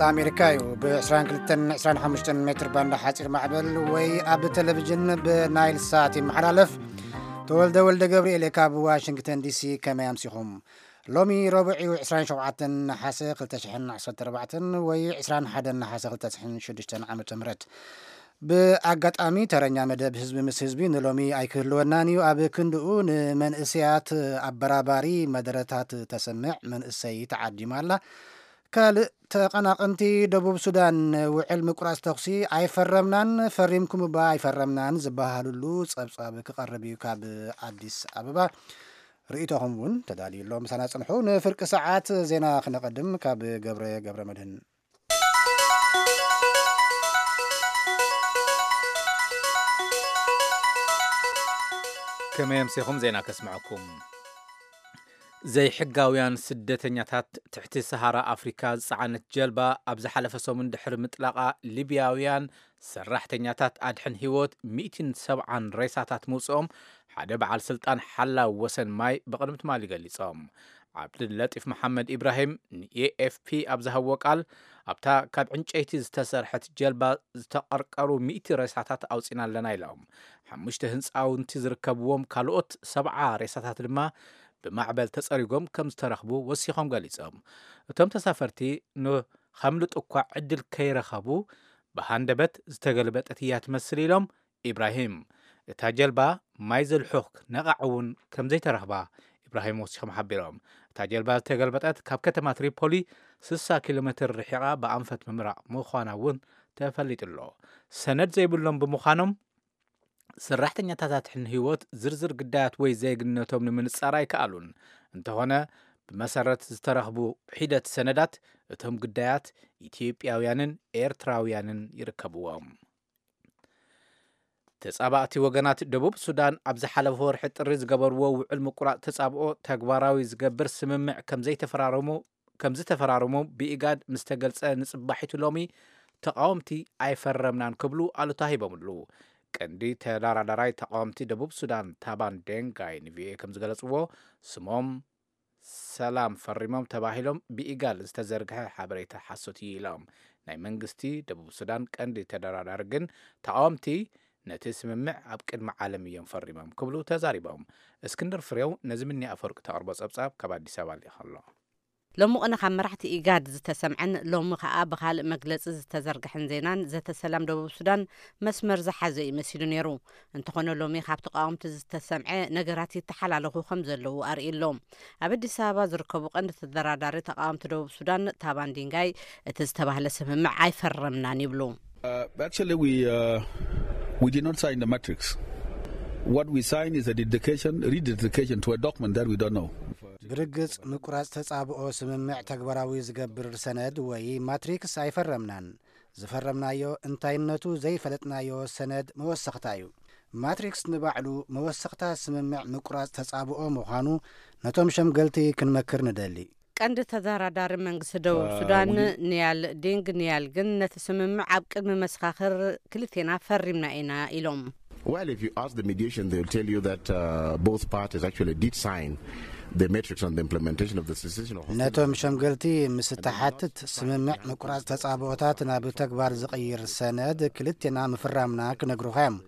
ኣሜሪካ እዩ። ብ22 25 ሜትር ባንድ ሓፂር ማዕበል ወይ ኣብ ቴሌቪዥን ብናይል ሳት ይመሓላለፍ። ተወልደ ወልደ ገብርኤል ካብ ዋሽንግተን ዲሲ። ከመይ ኣምሲኹም? ሎሚ ረቡዕ እዩ፣ 27 ነሓሰ 2014 ወይ 21 ነሓሰ 2006 ዓመተ ምህረት። ብኣጋጣሚ ተረኛ መደብ ህዝቢ ምስ ህዝቢ ንሎሚ ኣይክህልወናን እዩ። ኣብ ክንድኡ ንመንእሰያት ኣበራባሪ መደረታት ተሰምዕ መንእሰይ ተዓዲማ ኣላ። ካልእ ተቐናቐንቲ ደቡብ ሱዳን ውዕል ምቁራጽ ተኹሲ ኣይፈረምናን፣ ፈሪምኩም እባ ኣይፈረምናን ዝበሃሉሉ ጸብጻብ ክቐርብ እዩ ካብ ኣዲስ ኣበባ። ርእይቶኹም እውን ተዳልዩ ኣሎ። ምሳና ጽንሑ። ንፍርቂ ሰዓት ዜና ክነቐድም ካብ ገብረ ገብረ መድህን። ከመይ ኣምሲኹም? ዜና ከስምዐኩም። ዘይሕጋውያን ስደተኛታት ትሕቲ ሰሃራ ኣፍሪካ ዝጸዓነት ጀልባ ኣብ ዝሓለፈ ሰሙን ድሕሪ ምጥላቓ፣ ሊብያውያን ሰራሕተኛታት ኣድሕን ህይወት ሚእትን ሰብዓን ሬሳታት ምውፅኦም ሓደ በዓል ስልጣን ሓላው ወሰን ማይ ብቕድሚ ትማሊ ገሊጾም። ዓብድለጢፍ መሓመድ ኢብራሂም ንኤኤፍፒ ኣብ ዝሃብዎ ቃል፣ ኣብታ ካብ ዕንጨይቲ ዝተሰርሐት ጀልባ ዝተቐርቀሩ ሚእቲ ሬሳታት ኣውፂና ኣለና ኢሎም። ሓሙሽተ ህንፃውንቲ ዝርከብዎም ካልኦት ሰብዓ ሬሳታት ድማ ብማዕበል ተፀሪጎም ከም ዝተረኽቡ ወሲኾም ገሊጾም። እቶም ተሳፈርቲ ንኸምልጡ እኳ ዕድል ከይረኸቡ፣ ብሃንደበት ዝተገልበጠት እያ ትመስል ኢሎም ኢብራሂም። እታ ጀልባ ማይ ዘልሑኽ ነቓዕ እውን ከም ዘይተረኽባ ኢብራሂም ወሲኾም ሓቢሮም። እታ ጀልባ ዝተገልበጠት ካብ ከተማ ትሪፖሊ 60 ኪሎ ሜትር ርሒቓ ብኣንፈት ምምራቕ ምዃና እውን ተፈሊጡ ኣሎ። ሰነድ ዘይብሎም ብምዃኖም፣ ሰራሕተኛታት ኣድሕን ህይወት ዝርዝር ግዳያት ወይ ዜግነቶም ንምንጻር ኣይከኣሉን። እንተኾነ፣ ብመሰረት ዝተረኽቡ ሒደት ሰነዳት፣ እቶም ግዳያት ኢትዮጵያውያንን ኤርትራውያንን ይርከብዎም። ተጻባእቲ ወገናት ደቡብ ሱዳን ኣብ ዝሓለፈ ወርሒ ጥሪ ዝገበርዎ ውዕል ምቁራጽ ተጻብኦ ተግባራዊ ዝገብር ስምምዕ ከም ዘይተፈራረሙ ከም ዝተፈራረሙ ብኢጋድ ምስ ተገልጸ፣ ንጽባሒቱ ሎሚ ተቓወምቲ ኣይፈረምናን ክብሉ ኣሉታ ሂቦምሉ። ቀንዲ ተደራዳራይ ተቓወምቲ ደቡብ ሱዳን ታባን ዴንጋይ ንቪኦኤ ከም ዝገለጽዎ፣ ስሞም ሰላም ፈሪሞም ተባሂሎም ብኢጋድ ዝተዘርግሐ ሓበሬታ ሓሶት እዩ ኢሎም። ናይ መንግስቲ ደቡብ ሱዳን ቀንዲ ተደራዳሪ ግን፣ ተቓወምቲ ነቲ ስምምዕ ኣብ ቅድሚ ዓለም እዮም ፈሪሞም ክብሉ ተዛሪቦም። እስክንድር ፍሬው ነዚ ምኒ ኣፈወርቂ ተቕርቦ ጸብጻብ ካብ ኣዲስ ኣበባ ልኢኸ ኣሎ። ሎሚ ቅነ ካብ መራሕቲ ኢጋድ ዝተሰምዐን ሎሚ ከኣ ብኻልእ መግለጺ ዝተዘርግሐን ዜናን ዘተ ሰላም ደቡብ ሱዳን መስመር ዝሓዘ እዩ መሲሉ ነይሩ። እንተኾነ ሎሚ ካብ ተቃወምቲ ዝተሰምዐ ነገራት ይተሓላለኹ ከም ዘለዉ ኣርእዩ ኣሎ። ኣብ ኣዲስ ኣበባ ዝርከቡ ቀንዲ ተደራዳሪ ተቃወምቲ ደቡብ ሱዳን ታባን ዲንጋይ እቲ ዝተባህለ ስምምዕ ኣይፈረምናን ይብሉ። Uh, actually, we, uh, we did not sign the matrix. What we signed is a dedication, rededication to a document that we don't know. ብርግጽ ምቁራጽ ተጻብኦ ስምምዕ ተግባራዊ ዝገብር ሰነድ ወይ ማትሪክስ ኣይፈረምናን። ዝፈረምናዮ እንታይነቱ ዘይፈለጥናዮ ሰነድ መወሰኽታ እዩ። ማትሪክስ ንባዕሉ መወሰኽታ ስምምዕ ምቁራጽ ተጻብኦ ምዃኑ ነቶም ሸምገልቲ ክንመክር ንደሊ። ቀንዲ ተደራዳሪ መንግስቲ ደቡብ ሱዳን ኒያል ዲንግ ኒያል ግን ነቲ ስምምዕ ኣብ ቅድሚ መሰኻኽር ክልቴና ፈሪምና ኢና ኢሎም። Well, if you ask the mediation, they'll tell you that uh, both parties actually did sign the matrix on the implementation of the cessation of hostilities. ነቶም ሸምገልቲ ምስ እተሓትት፣ ስምምዕ ምቁራጽ ተጻብኦታት ናብ ተግባር ዝቕይር ሰነድ ክልቴና ምፍራምና ክነግሩኻ እዮም።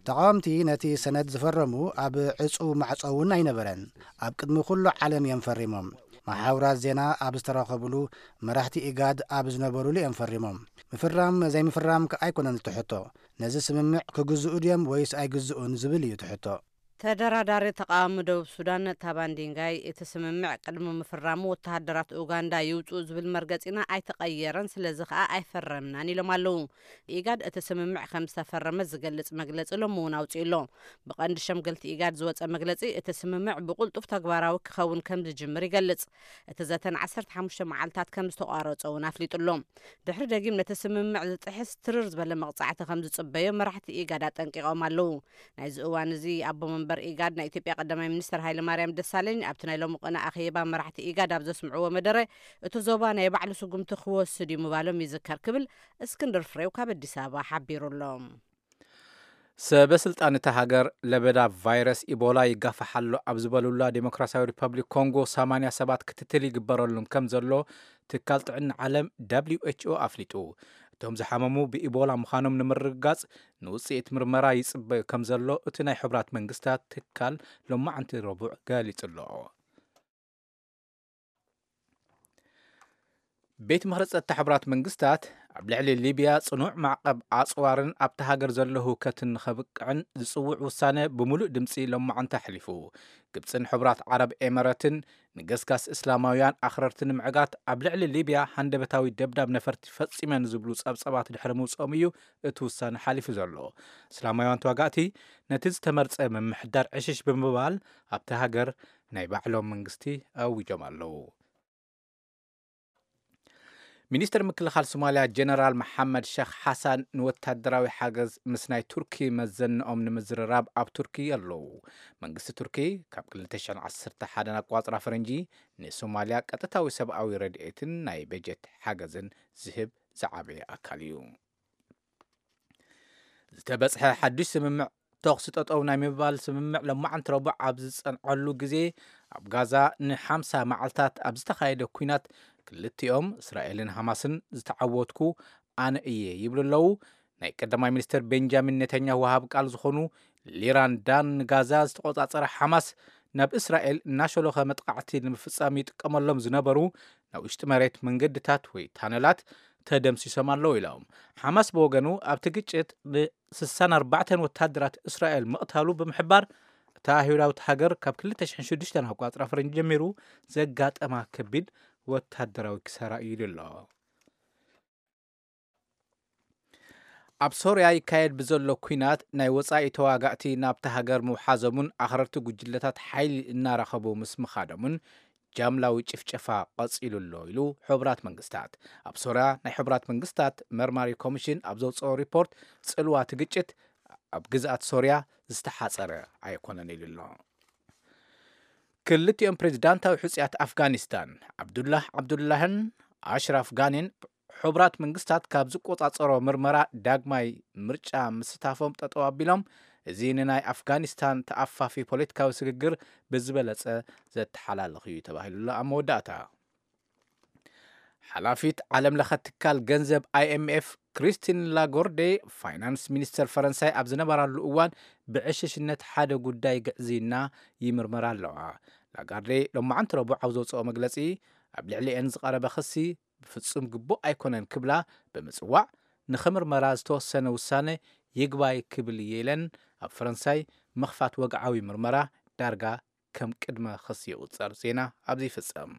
ተቓወምቲ ነቲ ሰነድ ዝፈረሙ ኣብ ዕጹው ማዕጾ እውን ኣይነበረን። ኣብ ቅድሚ ኩሉ ዓለም እዮም ፈሪሞም። መሓውራት ዜና ኣብ ዝተረኸብሉ፣ መራሕቲ ኢጋድ ኣብ ዝነበሩሉ እዮም ፈሪሞም። ምፍራም ዘይምፍራም ከ ኣይኮነን እቲ ሕቶ። ነዚ ስምምዕ ክግዝኡ ድዮም ወይስ ኣይግዝኡን ዝብል እዩ እቲ ሕቶ። ተደራዳሪ ተቃዋሚ ደቡብ ሱዳን ታባን ዲንጋይ፣ እቲ ስምምዕ ቅድሚ ምፍራሙ ወተሃደራት ኡጋንዳ ይውፅኡ ዝብል መርገፂና ኣይተቐየረን፣ ስለዚ ከኣ ኣይፈረምናን ኢሎም ኣለዉ። ኢጋድ እቲ ስምምዕ ከም ዝተፈረመ ዝገልጽ መግለጺ ሎሚ እውን ኣውጺኡ ኣሎ። ብቐንዲ ሸምገልቲ ኢጋድ ዝወጸ መግለጺ፣ እቲ ስምምዕ ብቕልጡፍ ተግባራዊ ክኸውን ከም ዝጅምር ይገልጽ። እቲ ዘተ ን15 መዓልታት ከም ዝተቋረጸ እውን ኣፍሊጡ ኣሎ። ድሕሪ ደጊም ነቲ ስምምዕ ዝጥሕስ ትርር ዝበለ መቕጻዕቲ ከም ዝጽበዮ መራሕቲ ኢጋድ ኣጠንቂቖም ኣለዉ። ናይዚ እዋን እዚ ኣቦ መንበር ኢጋድ ናይ ኢትዮጵያ ቀዳማይ ሚኒስትር ሃይለማርያም ደሳለኝ ኣብቲ ናይ ሎሚ ቅነ ኣኼባ መራሕቲ ኢጋድ ኣብ ዘስምዕዎ መደረ፣ እቲ ዞባ ናይ ባዕሉ ስጉምቲ ክወስድ እዩ ምባሎም ይዝከር ክብል እስክንድር ፍሬው ካብ ኣዲስ ኣበባ ሓቢሩ ኣሎ። ሰበ ስልጣን እታ ሃገር ለበዳ ቫይረስ ኢቦላ ይጋፋሕ ኣሎ ኣብ ዝበሉላ ዴሞክራሲያዊ ሪፐብሊክ ኮንጎ ሰማንያ ሰባት ክትትል ይግበረሉም ከም ዘሎ ትካል ጥዕና ዓለም ደብሊው ኤች ኦ ኣፍሊጡ። እቶም ዝሓመሙ ብኢቦላ ምዃኖም ንምርግጋጽ ንውጽኢት ምርመራ ይጽበዩ ከም ዘሎ እቲ ናይ ሕቡራት መንግስታት ትካል ሎማዓንቲ ረቡዕ ገሊጹ ኣሎ። ቤት ምኽሪ ጸጥታ ሕቡራት መንግስታት ኣብ ልዕሊ ሊብያ ጽኑዕ ማዕቐብ ኣጽዋርን ኣብቲ ሃገር ዘሎ ህውከትን ንኸብቅዕን ዝጽውዕ ውሳነ ብምሉእ ድምጺ ሎማዓንቲ ኣሕሊፉ። ግብጽን ሕቡራት ዓረብ ኤመረትን ንገስጋስ እስላማውያን ኣኽረርቲ ንምዕጋት ኣብ ልዕሊ ሊብያ ሃንደበታዊ ደብዳብ ነፈርቲ ፈጺመን ዝብሉ ጸብጸባት ድሕሪ ምውጽኦም እዩ እቲ ውሳነ ሓሊፉ ዘሎ። እስላማውያን ተዋጋእቲ ነቲ ዝተመርጸ ምምሕዳር ዕሽሽ ብምባል ኣብቲ ሃገር ናይ ባዕሎም መንግስቲ ኣዊጆም ኣለዉ። ሚኒስትር ምክልኻል ሶማልያ ጀነራል መሓመድ ሸኽ ሓሳን ንወታደራዊ ሓገዝ ምስ ናይ ቱርኪ መዘንኦም ንምዝርራብ ኣብ ቱርኪ ኣለዉ። መንግስቲ ቱርኪ ካብ ክልተ ሽሕን ዓሰርተ ሓደን ኣቋጽራ ፈረንጂ ንሶማልያ ቀጥታዊ ሰብኣዊ ረድኤትን ናይ በጀት ሓገዝን ዝህብ ዝዓበየ ኣካል እዩ። ዝተበጽሐ ሓድሽ ስምምዕ ተኹሲ ጠጠው ናይ ምባል ስምምዕ ለማዓንቲ ረቡዕ ኣብ ዝጸንዐሉ ግዜ ኣብ ጋዛ ንሓምሳ መዓልታት ኣብ ዝተኻየደ ኲናት ክልቲኦም እስራኤልን ሃማስን ዝተዓወትኩ ኣነ እየ ይብሉ ኣለዉ። ናይ ቀዳማይ ሚኒስትር ቤንጃሚን ኔታንያሁ ወሃብ ቃል ዝኾኑ ሊራን ዳን ንጋዛ ዝተቆጻጸረ ሓማስ ናብ እስራኤል እናሸሎኸ መጥቃዕቲ ንምፍጻም ይጥቀመሎም ዝነበሩ ናይ ውሽጢ መሬት መንገድታት ወይ ታነላት ተደምሲሶም ኣለዉ ኢሎም። ሓማስ ብወገኑ ኣብቲ ግጭት ን64 ወታደራት እስራኤል ምቕታሉ ብምሕባር እታ ኣይሁዳዊት ሃገር ካብ ክልተ ሽሕን ሽዱሽተን ኣቋጽራ ፈረንጂ ጀሚሩ ዘጋጠማ ከቢድ ወታደራዊ ክሳራ እዩ ኢሉ ኣሎ። ኣብ ሶርያ ይካየድ ብዘሎ ኲናት ናይ ወጻኢ ተዋጋእቲ ናብቲ ሃገር ምውሓዞምን ኣኽረርቲ ጉጅለታት ሓይሊ እናረኸቡ ምስ ምኻዶምን ጃምላዊ ጭፍጨፋ ቀጺሉ ኣሎ ኢሉ ሕቡራት መንግስታት። ኣብ ሶርያ ናይ ሕቡራት መንግስታት መርማሪ ኮሚሽን ኣብ ዘውፅኦ ሪፖርት ጽልዋ እቲ ግጭት ኣብ ግዝኣት ሶርያ ዝተሓጸረ ኣይኮነን ኢሉ ኣሎ። ክልቲኦም ፕሬዝዳንታዊ ሕፁያት ኣፍጋኒስታን ዓብዱላህ ዓብዱላህን ኣሽራፍ ጋኒን ሕቡራት መንግስታት ካብ ዝቆጻጸሮ ምርመራ ዳግማይ ምርጫ ምስታፎም ጠጠው ኣቢሎም፣ እዚ ንናይ ኣፍጋኒስታን ተኣፋፊ ፖለቲካዊ ስግግር ብዝበለጸ ዘተሓላልኽ እዩ ተባሂሉሉ ኣብ መወዳእታ። ሓላፊት ዓለም ለኸ ትካል ገንዘብ ኣይ ኤም ኤፍ ክሪስቲን ላጎርዴ ፋይናንስ ሚኒስተር ፈረንሳይ ኣብ ዝነበራሉ እዋን ብዕሽሽነት ሓደ ጉዳይ ግዕዝይና ይምርመራ ኣለዋ። ላጋርዴ ሎማዓንቲ ረቡዕ ኣብ ዘውፅኦ መግለፂ ኣብ ልዕሊኤን ዝቐረበ ክሲ ብፍጹም ግቡእ ኣይኮነን ክብላ ብምጽዋዕ ንኽምርመራ ዝተወሰነ ውሳነ ይግባይ ክብል እየ ኢለን። ኣብ ፈረንሳይ ምኽፋት ወግዓዊ ምርመራ ዳርጋ ከም ቅድመ ክሲ ይቑጸር። ዜና ኣብዚ ይፍጸም።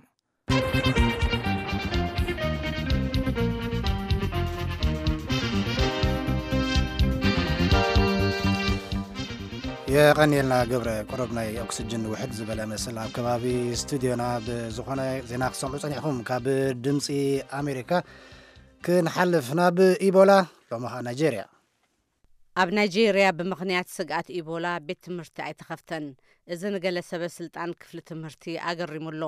የቐንየልና ገብረ። ቁሩብ ናይ ኦክስጅን ውሕድ ዝበለ መስል ኣብ ከባቢ ስቱድዮና። ብዝኾነ ዜና ክሰምዑ ጸኒሕኩም ካብ ድምፂ ኣሜሪካ ክንሓልፍ ናብ ኢቦላ ሎሚ ኸኣ ናይጄርያ። ኣብ ናይጄርያ ብምኽንያት ስግኣት ኢቦላ ቤት ትምህርቲ ኣይተኸፍተን። እዚ ንገለ ሰበ ስልጣን ክፍሊ ትምህርቲ ኣገሪሙ ኣሎ።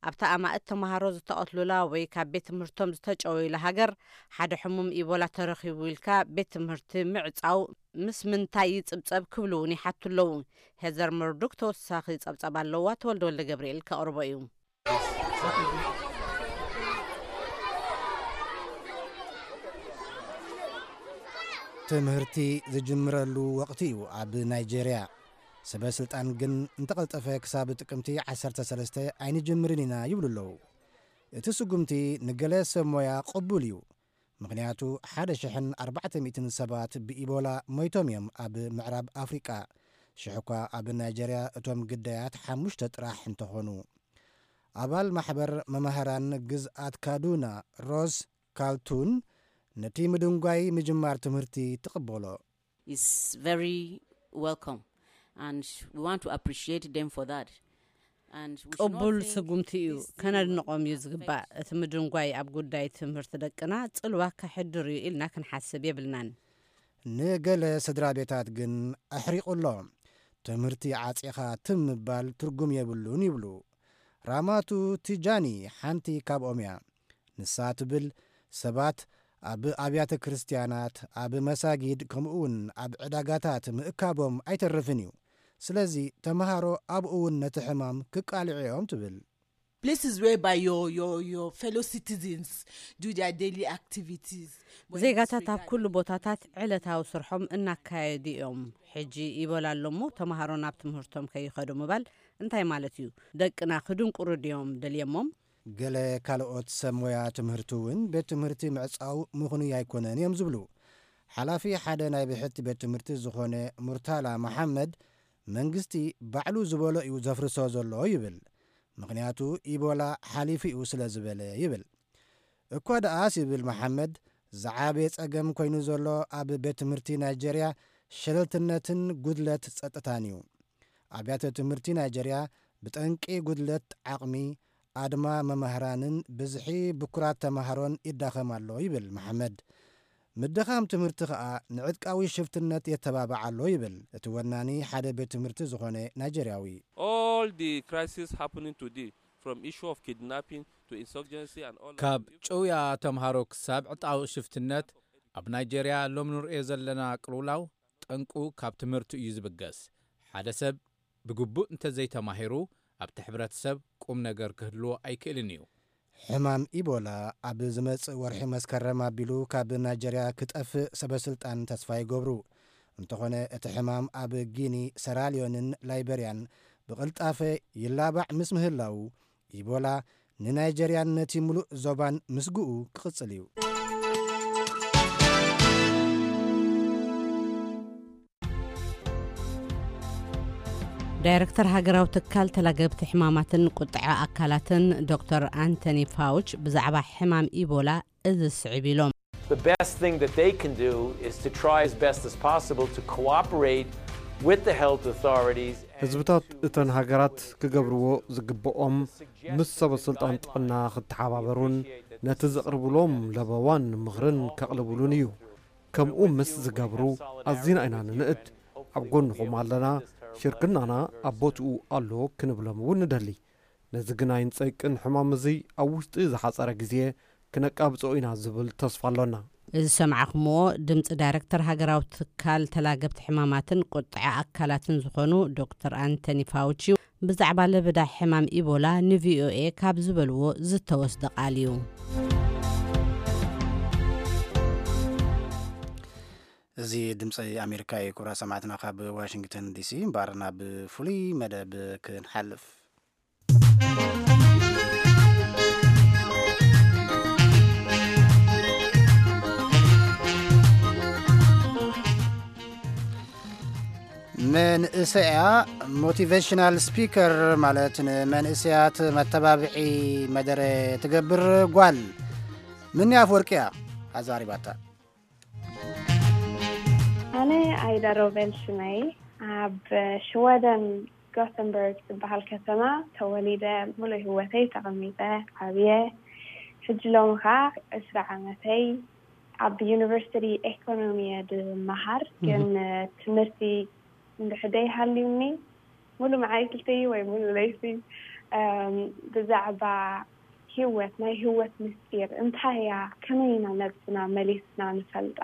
ኣብታ ኣማእት ተምሃሮ ዝተቐትሉላ ወይ ካብ ቤት ትምህርቶም ዝተጨወዩላ ሃገር ሓደ ሕሙም ኢቦላ ተረኺቡ ኢልካ ቤት ትምህርቲ ምዕጻው ምስ ምንታይ ይጽብጸብ ክብሉ እውን ይሓቱ ኣለዉ። ሄዘር መርዱክ ተወሳኺ ጸብጻብ ኣለዋ። ተወልደ ወልደ ገብርኤል ከቕርቦ እዩ። ትምህርቲ ዝጅምረሉ ወቕቲ እዩ ኣብ ናይጄርያ። ሰበ ስልጣን ግን እንተቐልጠፈ ክሳብ ጥቅምቲ ዓሰርተ ሰለስተ ኣይንጅምርን ኢና ይብሉ ኣለዉ። እቲ ስጉምቲ ንገለ ሰብ ሞያ ቅቡል እዩ። ምኽንያቱ ሓደ ሽሕን ኣርባዕተ ሚእትን ሰባት ብኢቦላ ሞይቶም እዮም ኣብ ምዕራብ ኣፍሪቃ። ሽሕ እኳ ኣብ ናይጀርያ እቶም ግዳያት ሓሙሽተ ጥራሕ እንተኾኑ። ኣባል ማሕበር መማህራን ግዝኣት ካዱና ሮዝ ካልቱን ነቲ ምድንጓይ ምጅማር ትምህርቲ ትቕበሎ። It's very welcome and we want to appreciate them for that. And we should not ቅቡል think ስጉምቲ እዩ፣ this thing ከነድንቖም እዩ will ዝግባእ። affect እቲ ምድንጓይ ኣብ ጉዳይ ትምህርቲ ደቅና ጽልዋ ከሕድር እዩ ኢልና ክንሓስብ የብልናን። ንገለ ስድራ ቤታት ግን ኣሕሪቑ ኣሎ። ትምህርቲ ዓጺኻ ትም ምባል ትርጉም የብሉን ይብሉ። ራማቱ ቲጃኒ ሓንቲ ካብኦም እያ። ንሳ ትብል ሰባት ኣብ ኣብያተ ክርስትያናት፣ ኣብ መሳጊድ፣ ከምኡ እውን ኣብ ዕዳጋታት ምእካቦም ኣይተርፍን እዩ። ስለዚ ተምሃሮ ኣብኡ እውን ነቲ ሕማም ክቃልዑ እዮም ትብል። Places whereby your your your fellow citizens do their daily activities. ዜጋታት ኣብ ኩሉ ቦታታት ዕለታዊ ስርሖም እናካየዱ እዮም። ሕጂ ኢቦላ ኣሎ እሞ ተምሃሮ ናብ ትምህርቶም ከይኸዱ ምባል እንታይ ማለት እዩ? ደቅና ክድንቁሩ ድዮም ደልየሞም? ገለ ካልኦት ሰብ ሞያ ትምህርቲ እውን ቤት ትምህርቲ ምዕጻው ምኽኑይ ኣይኮነን እዮም ዝብሉ። ሓላፊ ሓደ ናይ ብሕቲ ቤት ትምህርቲ ዝኾነ ሙርታላ መሓመድ፣ መንግስቲ ባዕሉ ዝበሎ እዩ ዘፍርሶ ዘሎ ይብል። ምኽንያቱ ኢቦላ ሓሊፉ እዩ ስለ ዝበለ ይብል። እኳ ደኣስ ይብል መሓመድ፣ ዝዓበየ ጸገም ኮይኑ ዘሎ ኣብ ቤት ትምህርቲ ናይጀርያ ሸለልትነትን ጉድለት ጸጥታን እዩ። ኣብያተ ትምህርቲ ናይጀርያ ብጠንቂ ጉድለት ዓቕሚ፣ ኣድማ መማህራንን ብዝሒ ብኩራት ተማሃሮን ይዳኸም ኣሎ ይብል መሓመድ። ምድኻም ትምህርቲ ኸኣ ንዕጥቃዊ ሽፍትነት የተባብዕ ኣሎ ይብል እቲ ወናኒ ሓደ ቤት ትምህርቲ ዝኾነ ናይጀርያዊ። All the crisis happening today, from issue of kidnapping to insurgency and all ካብ ጭውያ ተምሃሮ ክሳብ ዕጣዊ ሽፍትነት ኣብ ናይጀርያ ሎም ንርእዮ ዘለና ቅልውላው ጠንቁ ካብ ትምህርቱ እዩ ዝብገስ። ሓደ ሰብ ብግቡእ እንተዘይተማሂሩ ኣብቲ ሕብረተሰብ ቁም ነገር ክህልዎ ኣይክእልን እዩ። ሕማም ኢቦላ ኣብ ዝመጽእ ወርሒ መስከረም ኣቢሉ ካብ ናይጀርያ ክጠፍእ ሰበስልጣን ተስፋ ይገብሩ። እንተኾነ እቲ ሕማም ኣብ ጊኒ፣ ሰራልዮንን ላይበርያን ብቕልጣፈ ይላባዕ ምስ ምህላው፣ ኢቦላ ንናይጀርያን ነቲ ምሉእ ዞባን ምስግኡ ክቕጽል እዩ። ዳይረክተር ሃገራዊ ትካል ተላገብቲ ሕማማትን ቁጥዐ ኣካላትን ዶክተር ኣንቶኒ ፋውች ብዛዕባ ሕማም ኢቦላ እዚ ስዕብ ኢሎም። The best thing that they can do is to try as best as possible to cooperate with the health authorities. ህዝብታት እተን ሃገራት ክገብርዎ ዝግብኦም ምስ ሰበ ስልጣን ጥዕና ክተሓባበሩን ነቲ ዘቕርብሎም ለበዋን ምኽርን ከቕልብሉን እዩ። ከምኡ ምስ ዝገብሩ ኣዚና ኢና ንንእድ። ኣብ ጎንኹም ኣለና፣ ሽርክናና ኣብ ቦትኡ ኣሎ ክንብሎም እውን ንደሊ። ነዚ ግናይን ጸይቅን ሕማም እዚ ኣብ ውሽጢ ዝሓጸረ ግዜ ክነቃብጾ ኢና ዝብል ተስፋ ኣሎና። እዚ ዝሰማዕኹምዎ ድምፂ ዳይረክተር ሃገራዊ ትካል ተላገብቲ ሕማማትን ቁጥዐ ኣካላትን ዝኾኑ ዶክተር ኣንቶኒ ፋውቺ ብዛዕባ ለበዳ ሕማም ኢቦላ ንቪኦኤ ካብ ዝበልዎ ዝተወስደ ቃል እዩ። እዚ ድምፂ ኣሜሪካ እዩ። ክቡራት ሰማዕትና ካብ ዋሽንግተን ዲሲ እምበኣር ናብ ፍሉይ መደብ ክንሓልፍ። መንእሰያ ሞቲቬሽናል ስፒከር ማለት ንመንእሰያት መተባብዒ መደረ ትገብር ጓል ምንያ ኣፍወርቂ እያ ኣዛሪባታ። ኣነ ኣይዳ ሮቤል ሽመይ፣ ኣብ ሽወደን ጎተንበርግ ዝበሃል ከተማ ተወሊደ፣ ሙሉእ ህይወተይ ተቐሚጠ ዓብየ። ሕጂ ሎሚ ኸዓ ዕስራ ዓመተይ። ኣብ ዩኒቨርሲቲ ኤኮኖሚ እየ ድመሃር፣ ግን ትምህርቲ እንድሕደይ ሃልዩኒ ሙሉ መዓልቲ ወይ ሙሉ ለይቲ ብዛዕባ ህይወት፣ ናይ ህይወት ምስጢር እንታይ እያ፣ ከመይ ኢና ነብስና መሊስና ንፈልጣ፣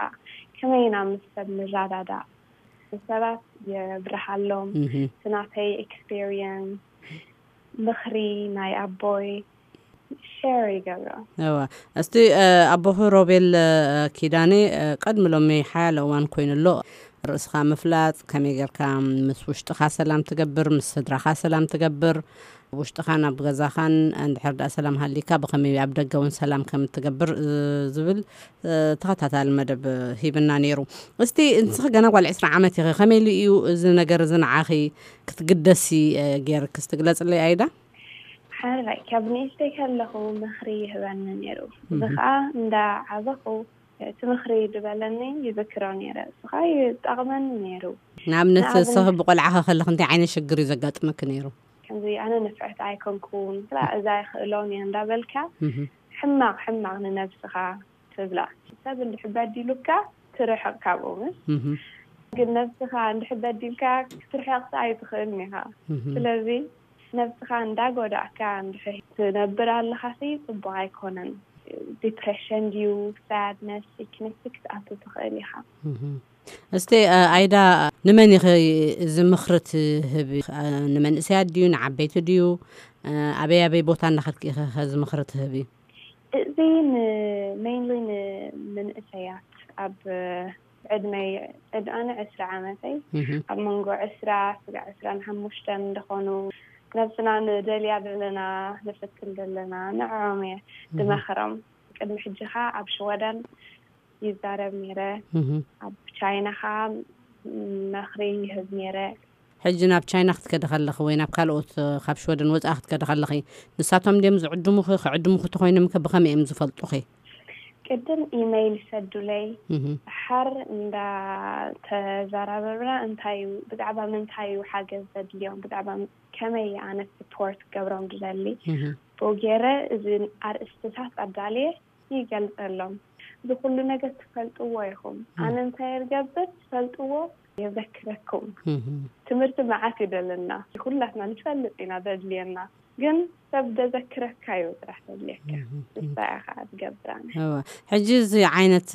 ከመይ ኢና ምስ ሰብ ንረዳዳእ፣ ንሰባት የብርሃሎም። እቲ ናተይ ኤክስፔሪየንስ፣ ምኽሪ ናይ ኣቦይ ሸር ይገብሮ። እዋ፣ እስቲ ኣቦኺ ሮቤል ኪዳኔ፣ ቀድሚ ሎሚ ሓያለ እዋን ኮይኑ ኣሎ፣ ርእስኻ ምፍላጥ፣ ከመይ ጌርካ ምስ ውሽጥኻ ሰላም ትገብር፣ ምስ ስድራኻ ሰላም ትገብር፣ ውሽጥኻን ኣብ ገዛኻን እንድሕር ደኣ ሰላም ሃሊካ ብኸመይ ኣብ ደገ እውን ሰላም ከም እትገብር ዝብል ተኸታታሊ መደብ ሂብና ነይሩ። እስቲ ንስኺ ገና ጓል ዕስራ ዓመት ኢኺ፣ ከመይ ኢሉ እዩ እዚ ነገር እዚ ንዓኺ ክትግደሲ ጌርክስ ትግለጽለይ ኣይዳ? ሓራይ ካብ ንእሽተይ ከለኹ ምኽሪ ይህበኒ ነይሩ። እዚ ከዓ እንዳ ዓበኹ እቲ ምኽሪ ዝበለኒ ይዝክሮ ነይረ። እሱ ከዓ ይጠቕመኒ ነይሩ። ንኣብነት ንኣብነት- ንስኺ ብቆልዓ ከለኺ እንታይ ዓይነት ሽግር እዩ ዘጋጥመኪ ነይሩ? ከምዚ ኣነ ንፍዕቲ ኣይኮንኩን፣ ስላ እዛ ይኽእሎን እየ እንዳበልካ እህ፣ ሕማቕ ሕማቕ ንነብስኻ ትብላ። ሰብ እንድሕር በዲሉካ ትርሕቕ ካብኡ ምስ እህ፣ ግን ነብስኻ እንድሕር በዲልካ ክትርሕቕ ኣይትኽእልን ኢኻ። እህ። ስለዚ ነብስኻ እንዳጎዳእካ እንድሕር ትነብር ኣለኻሲ ጽቡቕ ኣይኮነን። ዲፕሬሽን ድዩ፣ ሳድነስ፣ ሲክነስ ክትኣቱ ትኽእል ኢኻ። እስቲ ኣይዳ፣ ንመን ኢኺ እዚ ምኽሪ ትህቢ? ንመንእሰያት ድዩ፣ ንዓበይቲ ድዩ? ኣበይ ኣበይ ቦታ እናኸድኪ ኢኺ ከዚ ምኽሪ ትህቢ? እዚ ን mainly ንመንእሰያት ኣብ ዕድመይ ዕድ ኣነ ዕስራ ዓመተይ ኣብ መንጎ ዕስራ ስጋዕ ዕስራን ሓሙሽተን እንደኾኑ ነብስና ንደልያ ዘለና ንፍትን ዘለና ንዕኦም እየ ድመኽሮም። ቅድሚ ሕጂ ኸዓ ኣብ ሽወደን ይዛረብ ነይረ። ኣብ ቻይና ኸዓ መኽሪ ይህብ ነይረ። ሕጂ ናብ ቻይና ክትከዲ ከለኺ ወይ ናብ ካልኦት ካብ ሽወደን ወፃኢ ክትከዲ ከለኺ ንሳቶም ድዮም ዝዕድሙኺ? ክዕድሙኺ ተኾይኖም ከ ብኸመይ እዮም ዝፈልጡኺ? ቅድም ኢመይል ይሰዱለይ። ሓር እንዳተዘራረብና እንታይ እዩ ብዛዕባ ምንታይ እዩ ሓገዝ ዘድልዮም ብዛዕባ ከመይ ኣነ ስፖርት ገብሮም ድደሊ ብኡ ገይረ እዚ ኣርእስትታት ኣዳልየ ይገልጸሎም። እዚ ኩሉ ነገር ትፈልጥዎ ኢኹም። ኣነ እንታይ እገብር ትፈልጥዎ የዘክረኩም። ትምህርቲ መዓት ይደለና ኩላትና ንፈልጥ ኢና ዘድልየና ግን ሰብ ደዘክረካ እዩ ጥራሕ ዘድልየካ። ንሳ እያ ከዓ ትገብር ኣነ። ሕጂ እዚ ዓይነት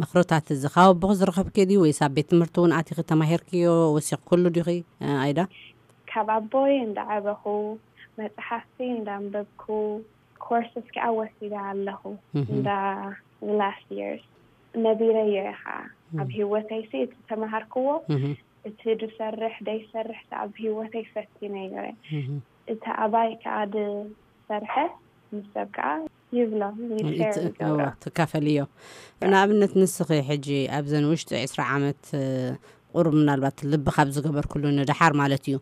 ምኽርታት እዚ ካብ ኣቦኺ ዝረኸብኪ ድዩ ወይስ ኣብ ቤት ትምህርቲ እውን ኣቲኺ ተማሂርክዮ ወሲኽክሉ ዲኺ? ኣይዳ ካብ ኣቦይ እንዳዓበኹ መፅሓፍቲ እንዳንበብኩ ኮርስስ ከዓ ወሲደ ኣለኹ። እንዳ last years ነቢረዮ እየ ከዓ ኣብ ህይወተይ ሲ እቲ ተምሃርክዎ እቲ ድሰርሕ ደይሰርሕ ኣብ ህይወተይ ፈቲነዮ እየ። እቲ ኣባይ ከዓ ድሰርሐ ምስ ሰብ ከዓ ይብሎ ይሸር ይገብሮ። ትካፈልዮ። ንኣብነት ንስኺ ሕጂ ኣብዘን ውሽጢ ዕስራ ዓመት ቁሩብ ምናልባት ልቢ ካብ ዝገበርክሉ ንደሓር ማለት እዩ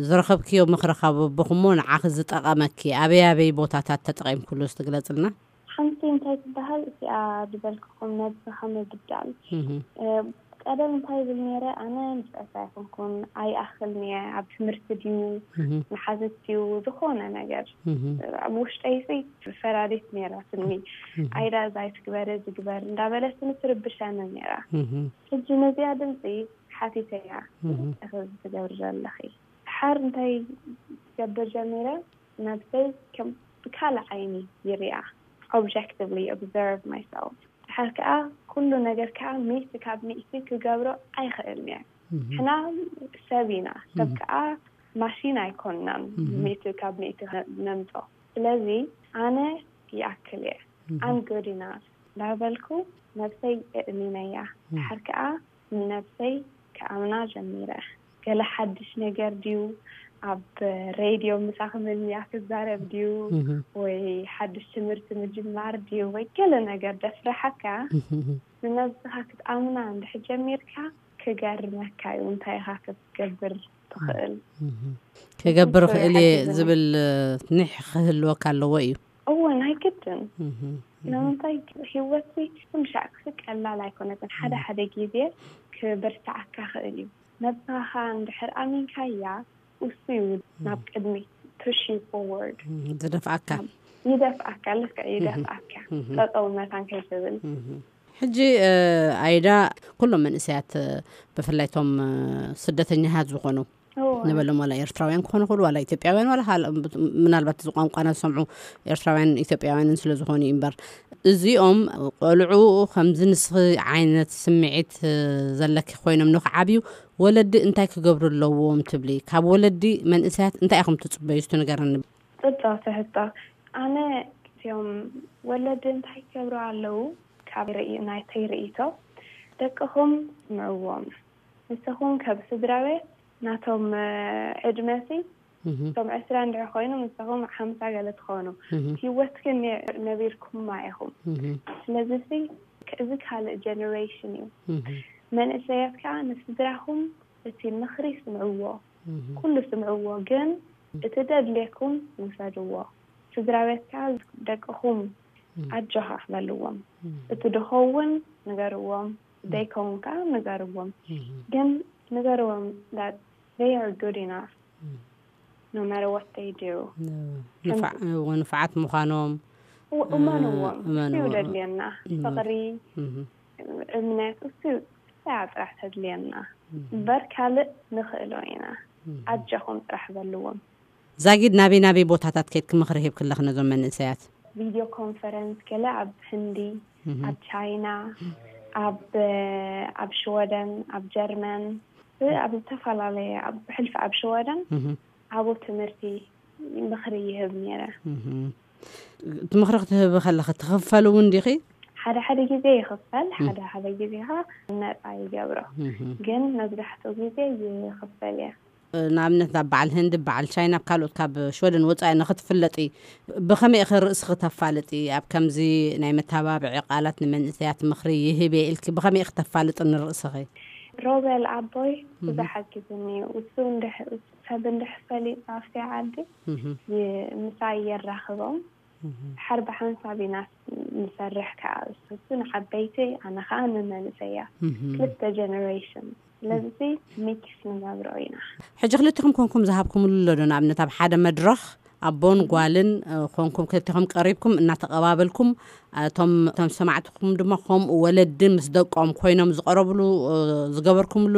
ዝረኸብክዮ ምኽሪ ካብ ኣቦኽሞ ንዓኺ ዝጠቐመኪ ኣበይ ኣበይ ቦታታት ተጠቒምክሉ እስቲ ግለፅልና? ሓንቲ እንታይ ትበሃል እቲኣ ዝበልክኹም ነብስኻ ምብዳል። ቀደም እንታይ ይብል ነይረ ኣነ ንፍዕቲ ኣይኮንኩን ኣይኣኽልን እየ ኣብ ትምህርቲ ድዩ ንሓዝት ድዩ ዝኾነ ነገር ኣብ ውሽጠይ ሲ ፈራዲት ነይራትኒ። ኣይዳ እዛ ኣይትግበሪ ዝግበር እንዳበለትኒ ትርብሸኒ ነይራ። ሕጂ ነዚኣ ድምፂ ሓቲተያ እዚ ትገብሪ ዘለኺ ሓር እንታይ ትገብር ጀሚረ ነብሰይ ከም ብካልእ ዓይኒ ይሪኣ። Objectively observe myself ድሓር ከዓ ኩሉ ነገር ከዓ ሚእቲ ካብ ሚእቲ ክገብሮ ኣይኽእልን እየ። ሕና ሰብ ኢና ሰብ ከዓ ማሽን ኣይኮንናን። ሚእቲ ካብ ሚእቲ ነምፆ ስለዚ ኣነ ይኣክል እየ። I'm good enough እንዳበልኩ ነብሰይ እእሚነያ። ድሓር ከዓ ንነብሰይ ክኣምና ጀሚረ። ገለ ሓድሽ ነገር ድዩ ኣብ ሬድዮ ምሳኺ ምንያ ክዛረብ ድዩ ወይ ሓድሽ ትምህርቲ ምጅማር ድዩ ወይ ገለ ነገር ደፍርሓካ ንነብስኻ ክትኣምና እንድሕር ጀሚርካ ክገርመካ እዩ እንታይ ኢኻ ክትገብር ትኽእል። ክገብር ክእል እየ ዝብል ኒሕ ክህልወካ ኣለዎ እዩ። እወ ናይ ግድን። ንምንታይ ህይወት ሲ ኩሉ ሻዕ ክሲ ቀላል ኣይኮነትን ሓደ ሓደ ግዜ ክብርትዓካ ክእል እዩ። ነብስኻ እንድሕር ኣሚንካያ እሱ እዩ ናብ ቅድሚት push you forward ዝደፍኣካ። ይደፍኣካ ልክዕ ይደፍኣካ ጠጠው መታን ከይትብል። ሕጂ ኣይዳ ኩሎም መንእሰያት ብፍላይ ቶም ስደተኛታት ዝኾኑ ንበሎም ዋላ ኤርትራውያን ክኾኑ ይኽእሉ ዋላ ኢትዮጵያውያን ዋላ ምናልባት እዚ ቋንቋና ዝሰምዑ ኤርትራውያን ኢትዮጵያውያንን ስለ ዝኾኑ እዩ እምበር እዚኦም ቆልዑ ከምዚ ንስኺ ዓይነት ስምዒት ዘለኪ ኮይኖም ንክዓብዩ ወለዲ እንታይ ክገብሩ ኣለዎም ትብሊ? ካብ ወለዲ መንእሰያት እንታይ ኢኹም ትፅበዩ እስቲ ንገረኒ። ፅብቕቲ ሕቶ። ኣነ እቲኦም ወለዲ እንታይ ክገብሩ ኣለዉ ካብ ናይተይ ርእይቶ ደቅኹም ስምዕዎም። ንስኹም ከም ስድራ ቤት ናቶም ዕድመሲ እቶም ዕስራ እንድሕር ኮይኖም ንስኹም ሓምሳ ገለ ትኾኑ ህይወት ግን ነቢርኩማ ኢኹም። ስለዚ ሲ እዚ ካልእ ጀነሬሽን እዩ። መንእሰያት ከዓ ንስድራኹም እቲ ምኽሪ ስምዕዎ፣ ኩሉ ስምዕዎ፣ ግን እቲ ደድልየኩም ውሰድዎ። ስድራ ቤት ከዓ ደቅኹም ኣጆኻ በልዎም። እቲ ድኸውን ንገርዎም፣ ደይከውን ከዓ ንገርዎም። ግን ንገርዎም that they are good enough no matter what they do። ንፋዓት ምዃኖም እመንዎም። እሱ ደድልየና ፍቕሪ እምነት እሱ ያ ጥራሕ ተድልየና እምበር ካልእ ንኽእሎ ኢና። ኣጆኹም ጥራሕ በልዎም። ዛጊድ ናበይ ናበይ ቦታታት ከይድኪ ምኽሪ ሂብኪ ኣለኺ ነዞም መንእሰያት? ቪድዮ ኮንፈረንስ ገለ ኣብ ህንዲ፣ ኣብ ቻይና፣ ኣብ ኣብ ሽወደን፣ ኣብ ጀርመን፣ ኣብ ዝተፈላለየ፣ ኣብ ብሕልፊ ኣብ ሽወደን ዓቡ ትምህርቲ ምኽሪ ይህብ ነይረ። እቲ ምኽሪ ክትህቢ ከለኺ ትኽፈል እውን ዲኺ? ሓደ ሓደ ግዜ ይኽፈል፣ ሓደ ሓደ ግዜ ከዓ ነፃ ይገብሮ። ግን መብዛሕትኡ ግዜ ይኽፈል እየ። ንኣብነት ናብ በዓል ህንዲ፣ በዓል ቻይና፣ ኣብ ካልኦት ካብ ሽወደን ወፃኢ ንኽትፍለጢ ብኸመይ ኢኺ ርእስኺ ተፋልጢ? ኣብ ከምዚ ናይ መተባብዒ ቃላት ንመንእሰያት ምኽሪ ይህብ እየ ኢልኪ ብኸመይ ኢኺ ተፋልጢ ንርእስኺ? ሮቤል ኣቦይ ብዙሕ ሓጊዙኒ እዩ። እሱ ሰብ እንድሕር ፈሊጡ ኣብቲ ዓዲ ምሳይ የራኽቦም። ሓር ብሓንሳብ ኢና ንሰርሕ ከዓ፣ እሱ ንዓበይቲ ኣነ ከዓ ንመንእሰያ፣ ክልተ ጀነሬሽን። ስለዚ ሚክስ ንገብሮ ኢና። ሕጂ ክልቲኹም ኮንኩም ዝሃብኩምሉ ኣሎ ዶ? ንኣብነት ኣብ ሓደ መድረኽ ኣቦን ጓልን ኮንኩም ክልቲኹም ቀሪብኩም እናተቐባበልኩም፣ እቶም እቶም ሰማዕትኹም ድማ ከምኡ ወለዲ ምስ ደቆም ኮይኖም ዝቐረብሉ ዝገበርኩምሉ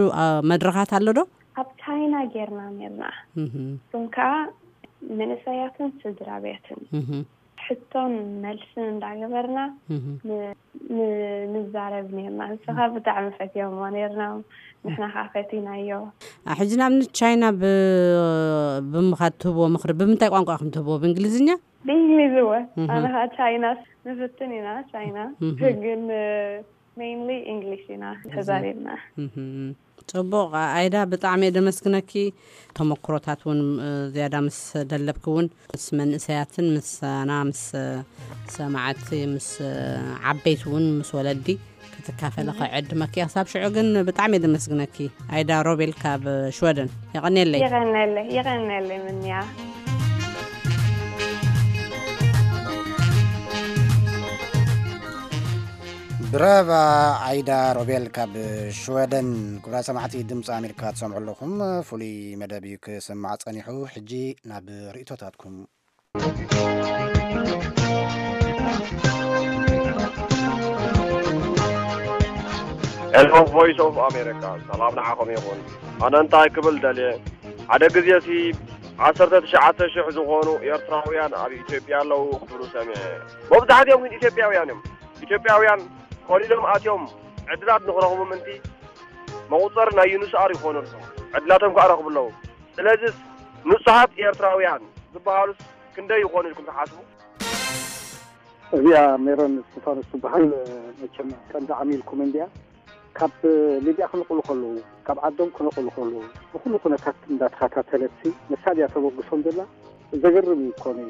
መድረኻት ኣሎ ዶ? ኣብ ቻይና ጌርና ኔርና። እቶም ከዓ መንእሰያትን ስድራ ቤትን ሕቶን መልስን እንዳገበርና ንዛረብ ኔርና። ንስኻ ብጣዕሚ ፈትዮሞ ኔርና፣ ንሕና ከዓ ፈቲናዮ። ሕጂ ንኣብነት ቻይና ብምኻድ ትህብዎ ምኽሪ ብምንታይ ቋንቋ ኢኹም ትህብዎ? ብእንግሊዝኛ? ብእንግሊዝ እወ። ኣነ ከዓ ቻይና ንፍትን ኢና፣ ቻይና ግን ሜይንሊ ኢንግሊሽ ኢና ተዛሪብና። ፅቡቕ። ኣይዳ፣ ብጣዕሚ እየ ደመስግነኪ። ተመክሮታት እውን ዝያዳ ምስ ደለብኪ እውን ምስ መንእሰያትን ምሳና ምስ ሰማዕቲ ምስ ዓበይቲ እውን ምስ ወለዲ ክትካፈለ ክዕድመኪ እየ። ክሳብ ሽዑ ግን ብጣዕሚ እየ ደመስግነኪ። ኣይዳ ሮቤል ካብ ሽወደን። የቐንየለይ። የቐንየለይ፣ የቐንየለይ ምንያ። ብራቫ። ዓይዳ ሮቤል ካብ ሽወደን። ክቡራት ሰማዕቲ ድምፂ ኣሜሪካ ትሰምዑ ኣለኹም። ፍሉይ መደብ እዩ ክስማዕ ፀኒሑ። ሕጂ ናብ ርእቶታትኩም። ሄሎ፣ ቮይስ ኦፍ ኣሜሪካ፣ ሰላም ንዓኹም ይኹን። ኣነ እንታይ ክብል ደልየ፣ ሓደ ግዜ ሲ ዓሰርተ ትሽዓተ ሽሕ ዝኾኑ ኤርትራውያን ኣብ ኢትዮጵያ ኣለዉ ክብሉ ሰሚዐ። መብዛሕትኦም ግን ኢትዮጵያውያን እዮም። ኢትዮጵያውያን ኮሊሎም ኣትዮም ዕድላት ንኽረኽቡ ምእንቲ መቑፀሪ ናይ ዩንስኣር ይኾኑ ኣለዉ። ዕድላቶም ከዓ ረኽቡ ኣለዉ። ስለዚስ ንጹሃት ኤርትራውያን ዝበሃሉስ ክንደይ ይኾኑ ኢልኩም ትሓስቡ? እዚኣ ሜሮን እስጢፋኖስ ትበሃል። መቸም ቀንዲ ዓሚልኩም እንድያ። ካብ ሊብያ ክነቕሉ ከለዉ፣ ካብ ዓዶም ክነቕሉ ከለዉ፣ ብኹሉ ኩነታት እንዳተኸታተለትሲ ንሳ ድያ ተበግሶም ዘላ? ዘገርም እዩ እኮ ነዩ።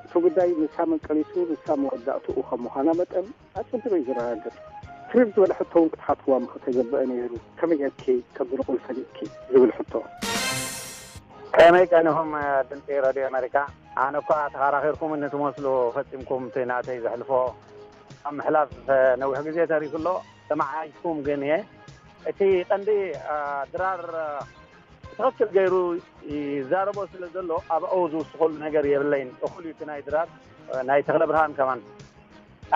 እቲ ጉዳይ ንሳ መንቀሊቱ፣ ንሳ መወዳእትኡ ከም ምዃና መጠን ኣጸቢቑ እዩ ዝረጋገጽ። ትርር ዝበለ ሕቶ እውን ክትሓትዋ ምኽተገብአ ነይሩ። ከመይ ጌርኪ ከምዚ ንቑል ፈሊጥኪ? ዝብል ሕቶ። ከመይ ቀኒኹም ድምፂ ረድዮ ኣሜሪካ? ኣነ እኳ ተኸራኺርኩምኒ ትመስሉ ፈፂምኩም እቲ ናተይ ዘሕልፎ ኣብ ምሕላፍ ነዊሕ ግዜ ተሪፉ ኣሎ። ሰማዓይኩም ግን እየ። እቲ ቀንዲ ድራር ብትኽክል ገይሩ ይዛረቦ ስለ ዘሎ ኣብኡ ዝውስኸሉ ነገር የብለይን። እኹል እዩ እቲ ናይ ድራር ናይ ተኽለ ብርሃን ከማን።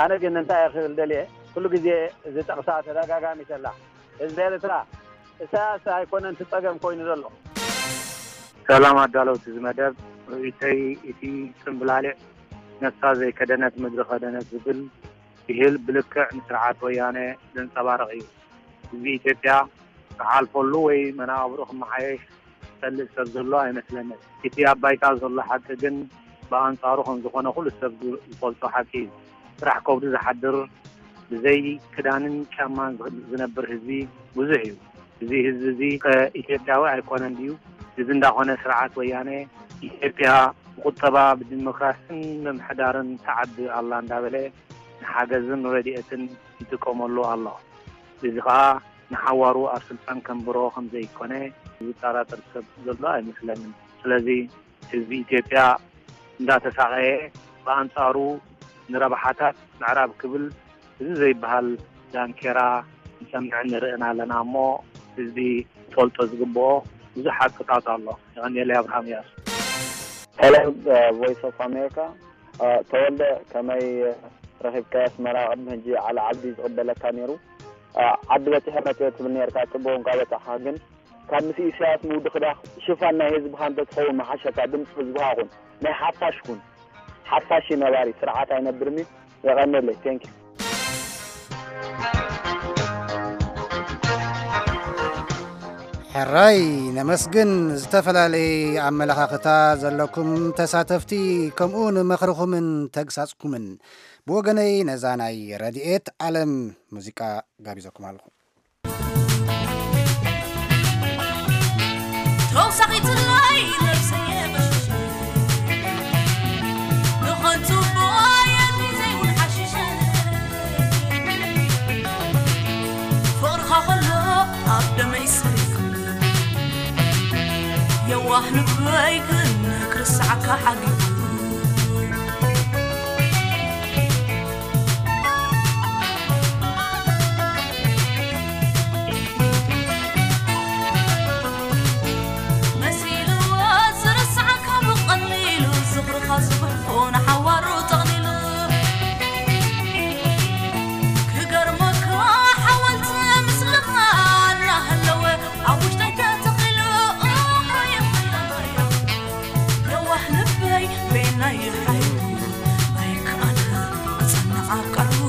ኣነ ግን እንታይ እየ ክብል ደልየ፣ ኩሉ ግዜ እዚ ጠቕሳ ተደጋጋሚ ተላ ህዝቢ ኤርትራ እሳያስ ኣይኮነን እቲ ጸገም ኮይኑ ዘሎ። ሰላም ኣዳለውቲ እዚ መደብ፣ ርእይቶይ እቲ ጽምብላሊዕ ነፍሳ ዘይከደነት ምድሪ ከደነት ዝብል ብሂል ብልክዕ ንስርዓት ወያነ ዘንጸባርቕ እዩ። ህዝቢ ኢትዮጵያ ክሓልፈሉ ወይ መነባብርኡ ክመሓየሽ ዝጸልእ ሰብ ዘሎ ኣይመስለንን። እቲ ኣብ ባይታ ዘሎ ሓቂ ግን ብኣንጻሩ ከም ዝኾነ ኩሉ ሰብ ዝፈልጦ ሓቂ እዩ። ስራሕ ከብዱ ዝሓድር ብዘይ ክዳንን ጫማን ዝነብር ህዝቢ ብዙሕ እዩ። እዚ ህዝቢ እዚ ከ ኢትዮጵያዊ ኣይኮነን ድዩ? እዚ እንዳኾነ ስርዓት ወያነ ኢትዮጵያ ብቁጠባ ብዲሞክራስን ምምሕዳርን ትዓቢ ኣላ እንዳበለ ንሓገዝን ረድኤትን ይጥቀመሉ ኣሎ። እዚ ኸኣ ንሓዋሩ ኣብ ስልጣን ከንብሮ ከም ዘይኮነ ዝጠራጠር ሰብ ዘሎ ኣይመስለንን። ስለዚ ህዝቢ ኢትዮጵያ እንዳተሳቐየ ብኣንጻሩ ንረብሓታት ምዕራብ ክብል እዚ ዘይበሃል ዳንኬራ ንሰምዕን ንርእን ኣለና እሞ ህዝቢ ክፈልጦ ዝግብኦ ብዙሕ ሓቅታት ኣሎ። የቐንየለይ ኣብርሃም እያሱ። Hello, Voice of America. ተወልደ ከመይ ረኺብካዮ ኣስመራ ቅድሚ ሕጂ ዓሊ ዓብዲ ዝቕበለካ ነይሩ። ዓዲ በጺሐ መጺኦ ትብል ነርካ ጽቡቕ እንካ በጻሕካ ግን ካብ ምስ ኢሳያስ ምውድኽዳኽ ሽፋን ናይ ህዝብኻ እንተትኸውን ምሓሸካ ድምፂ ህዝብኻ ኩን ናይ ሓፋሽ ኩን። ሓፋሽ ነባሪ ስርዓት ኣይነብርኒ። የቐነለይ። Thank you። ሕራይ ነመስግን። ዝተፈላለየ ኣመለኻኽታ ዘለኩም ተሳተፍቲ፣ ከምኡ ንመኽርኹምን ተግሳጽኩምን። ብወገነይ ነዛ ናይ ረድኤት ዓለም ሙዚቃ ጋቢዘኩም ኣለኹ። ተውሳኺትለይ ነብሰየ ቀሽሽ፣ ንኸንቱ ቦየኒ ዘይውን ሓሽሽ። ፍቕርኻ ከሎ ኣብ ደመይ ሰሪፍ፣ የዋህ ልበይ ግን ክርስዓካ ሓጊጉ። መሲልዎ ዝርስዓካ ብቐሊሉ፣ ዝኽርኻ ዝጉሕፎ ንሓዋሩ ጠቕሊሉ። ክገርመካ ሓወልቲ ምስልኻ እናሃለወ፣ ኣብ ውሽጠይ ተተኺሉ። የዋህ ልበይ በየናይ ሓይሉ ኣይከኣለ ክጸንዕ ኣብ ቃሉ።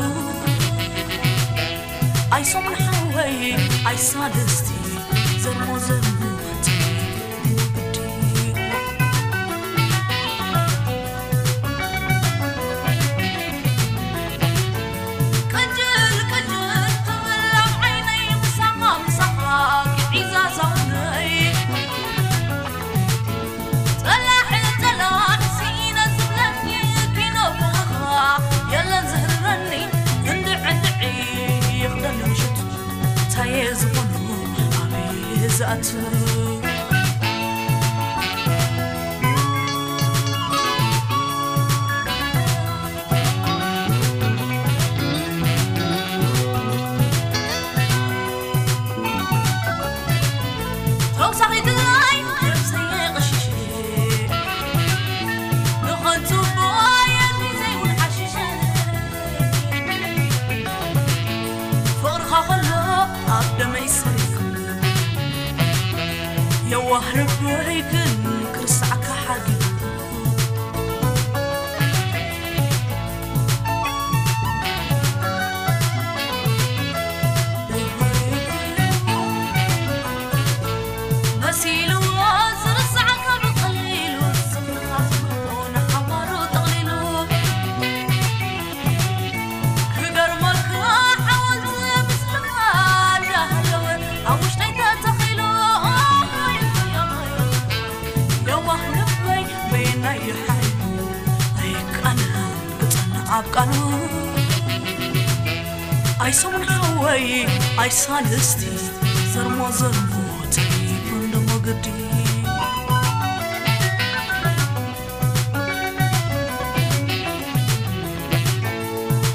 ኣይ ሰሙን ሓወይ ኣይ ሳልስቲ ዘርሞ ዘርሞ ወግዲ። ቅጅል ቅጅል ትብል ኣብ ዓይነይ ምሳኻ ምሳኻ ግዒዛ ዛውነይ። ጸላሕ ጸላሕ ስኢነ ዝብለኒ ኪኖ ፍቕርኻ የለን ዝህርረኒ። እንድዕ እንድዕ ይኽደን ምሽት ታየ ዝኾኑ ኣበይ ዝኣቱ። ተውሳኺትለይ ነብሰየ ቀሽሽ፣ ንኸንቱ ቦየኒ ዘይውን ሓሽሽ። ፍቕርኻ ከሎ ኣብ ደመይ ሰሪፍ፣ የዋህ ልበይ ግን ክርስዓካ ሓጊጉ። መሲልዎ ዝርስዓካ ብቐሊሉ፣ ዝኽርኻ ዝጉሕፎ ንሓዋሩ ጠቕሊሉ። ክገርመካ ሓወልቲ ምስልኻ እንዳሃለወ፣ ኣብ ውሽጠይ ተተኺሉ። የዋህ ልበይ በየናይ ሓይሉ ኣይቃለል ክጸንዕ ኣብ ቃሉ። ኣይ ሰሙን ሓወይ ኣይ ሳልስቲ ዘርሞ ዘርሞ ተሪፉ እንዶ መገዲ።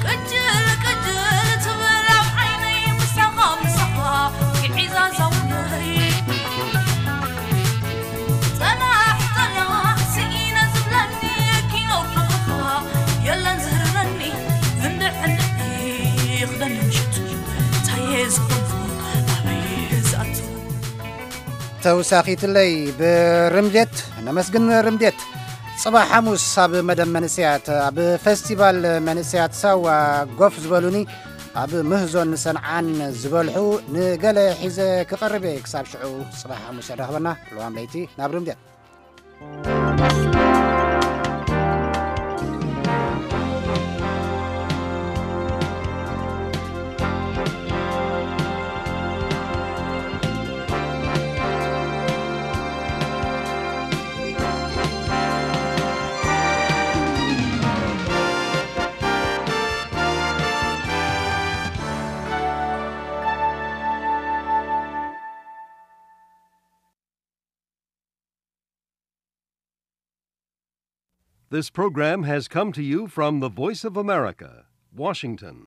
ቅጅል ቅጅል ትብል ኣብ ዓይነይ ምሳኻ ምሳኻ ግዒዛ ዛውነይ። ጸናሕ ጸናሕ ስኢነ ዝብለኒ ኪኖ ፍቕርኻ የለን ዝህርረኒ። እንድዕ እንድዕ ይኽደን ምሽቱ ታየ ዝኾንኩ ኣበይ ዝኣቱ። ተውሳኺትለይ ብርምዴት ነመስግን። ርምዴት ጽባሕ ሓሙስ ኣብ መደብ መንእሰያት ኣብ ፈስቲቫል መንእሰያት ሳዋ ጎፍ ዝበሉኒ ኣብ ምህዞን ሰንዓን ዝበልሑ ንገለ ሒዘ ክቐርብ እየ። ክሳብ ሽዑ ጽባሕ ሓሙስ የራኽበና። ልዋም ለይቲ ናብ ርምዴት። This program has come to you from the Voice of America, Washington.